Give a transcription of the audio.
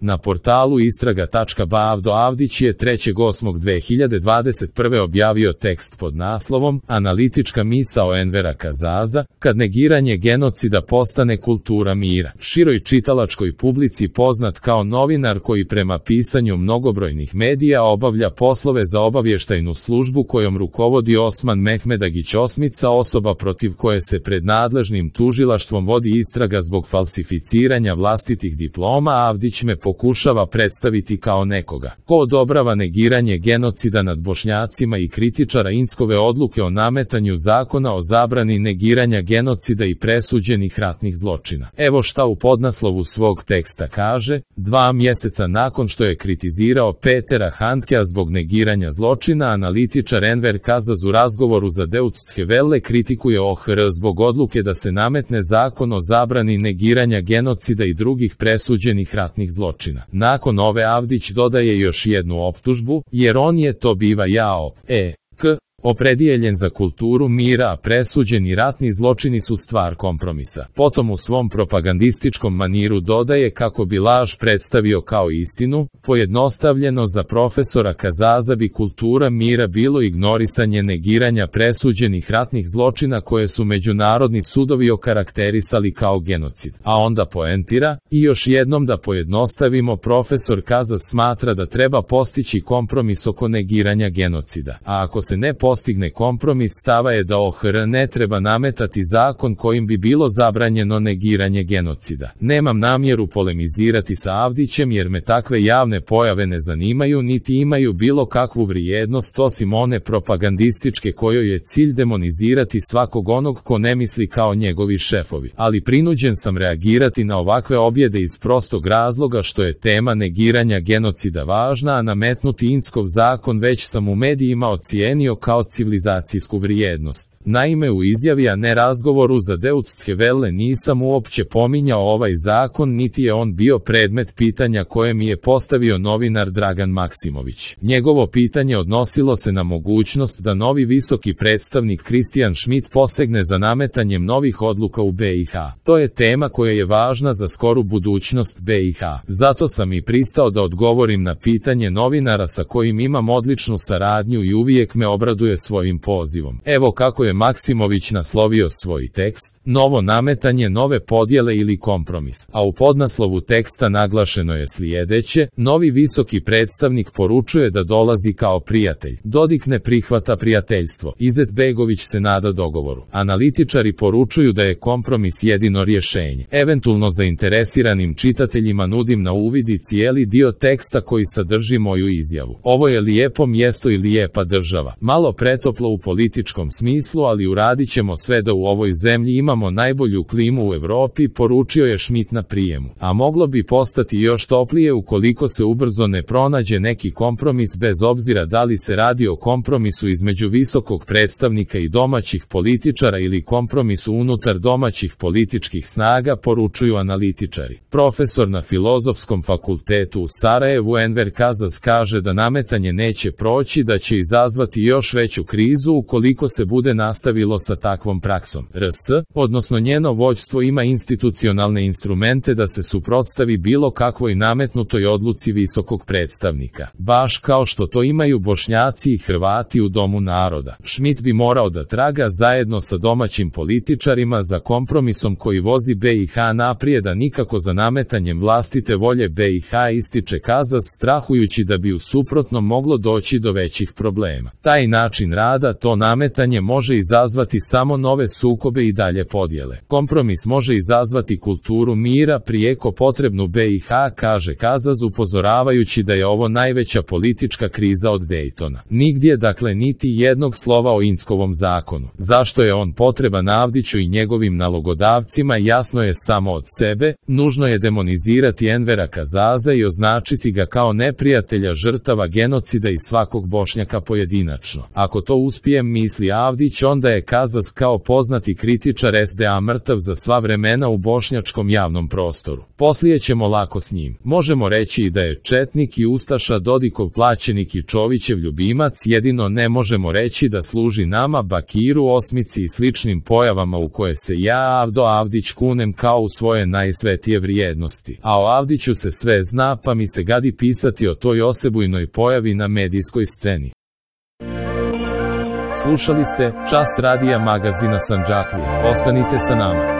Na portalu istraga.ba Avdo Avdić je 3.8.2021. objavio tekst pod naslovom Analitička misao Envera Kazaza, kad negiranje genocida postane kultura mira. Široj čitalačkoj publici poznat kao novinar koji prema pisanju mnogobrojnih medija obavlja poslove za obavještajnu službu kojom rukovodi Osman Mehmedagić Osmica, osoba protiv koje se pred nadležnim tužilaštvom vodi istraga zbog falsificiranja vlastitih diploma. Avdić me pokušava predstaviti kao nekoga ko odobrava negiranje genocida nad Bošnjacima i kritičara Inckove odluke o nametanju zakona o zabrani negiranja genocida i presuđenih ratnih zločina. Evo šta u podnaslovu svog teksta kaže: 2 mjeseca nakon što je kritizirao Petera Handkea zbog negiranja zločina, analitičar Enver Kazaz u razgovoru za Deutsche Welle kritikuje OHR zbog odluke da se nametne zakon o zabrani negiranja genocida i drugih presuđenih ratnih zločina. Nakon ove Avdić dodaje još jednu optužbu, jer on je, to biva jao, opredijeljen za kulturu mira, a presuđeni ratni zločini su stvar kompromisa. Potom u svom propagandističkom maniru dodaje kako bi laž predstavio kao istinu. Pojednostavljeno, za profesora Kazaza bi kultura mira bilo ignorisanje negiranja presuđenih ratnih zločina koje su međunarodni sudovi okarakterisali kao genocid. A onda poentira: i još jednom da pojednostavimo, profesor Kazaz smatra da treba postići kompromis oko negiranja genocida. A ako se ne postigne kompromis, stava je da OHR ne treba nametati zakon kojim bi bilo zabranjeno negiranje genocida. Nemam namjeru polemizirati sa Avdićem jer me takve javne pojave ne zanimaju niti imaju bilo kakvu vrijednost osim one propagandističke kojoj je cilj demonizirati svakog onog ko ne misli kao njegovi šefovi. Ali prinuđen sam reagirati na ovakve objede iz prostog razloga što je tema negiranja genocida važna, a nametnuti Inckov zakon već sam u medijima ocijenio kao civilizacijsku vrijednost. Naime, u izjavi, a ne razgovoru za Deutsche Welle, nisam uopće pominjao ovaj zakon, niti je on bio predmet pitanja koje mi je postavio novinar Dragan Maksimović. Njegovo pitanje odnosilo se na mogućnost da novi visoki predstavnik Christian Schmidt posegne za nametanjem novih odluka u BiH. To je tema koja je važna za skoru budućnost BiH. Zato sam i pristao da odgovorim na pitanje novinara sa kojim imam odličnu saradnju i uvijek me obraduje svojim pozivom. Evo kako je Maksimović naslovio svoj tekst: novo nametanje, nove podjele ili kompromis. A u podnaslovu teksta naglašeno je sljedeće: novi visoki predstavnik poručuje da dolazi kao prijatelj. Dodik ne prihvata prijateljstvo. Izetbegović se nada dogovoru. Analitičari poručuju da je kompromis jedino rješenje. Eventualno zainteresiranim čitateljima nudim na uvid i cijeli dio teksta koji sadrži moju izjavu. Ovo je lijepo mjesto i lijepa država. Malo pretoplo u političkom smislu, ali uradit ćemo sve da u ovoj zemlji imamo najbolju klimu u Europi, poručio je Schmidt na prijemu. A moglo bi postati još toplije ukoliko se ubrzo ne pronađe neki kompromis, bez obzira da li se radi o kompromisu između visokog predstavnika i domaćih političara ili kompromisu unutar domaćih političkih snaga, poručuju analitičari. Profesor na Filozofskom fakultetu u Sarajevu Enver Kazaz kaže da nametanje neće proći, da će izazvati još veću krizu ukoliko se bude nastavilo sa takvom praksom. RS, odnosno njeno vođstvo, ima institucionalne instrumente da se suprotstavi bilo kakvoj nametnutoj odluci visokog predstavnika. Baš kao što to imaju Bošnjaci i Hrvati u Domu naroda. Schmidt bi morao da traga zajedno sa domaćim političarima za kompromisom koji vozi BiH naprijed, a nikako za nametanjem vlastite volje BiH, ističe Kazaz, strahujući da bi u suprotnom moglo doći do većih problema. Taj način rada, to nametanje, može izazvati samo nove sukobe i dalje podjele. Kompromis može izazvati kulturu mira, prijeko potrebnu BiH, kaže Kazaz, upozoravajući da je ovo najveća politička kriza od Daytona. Nigdje, dakle, niti jednog slova o Inckovom zakonu. Zašto je on potreban Avdiću i njegovim nalogodavcima, jasno je samo od sebe. Nužno je demonizirati Envera Kazaza i označiti ga kao neprijatelja žrtava genocida i svakog Bošnjaka pojedinačno. Ako to uspijem, misli Avdić, onda je Kazas kao poznati kritičar SDA mrtav za sva vremena u bošnjačkom javnom prostoru. Poslije ćemo lako s njim. Možemo reći i da je četnik i ustaša Dodikov plaćenik i Čovićev ljubimac, jedino ne možemo reći da služi nama, Bakiru, Osmici i sličnim pojavama u koje se ja, Avdo Avdić, kunem kao u svoje najsvetije vrijednosti. A o Avdiću se sve zna, pa mi se gadi pisati o toj osebujnoj pojavi na medijskoj sceni. Slušali ste Čas radija magazina Sandžaklija. Ostanite sa nama.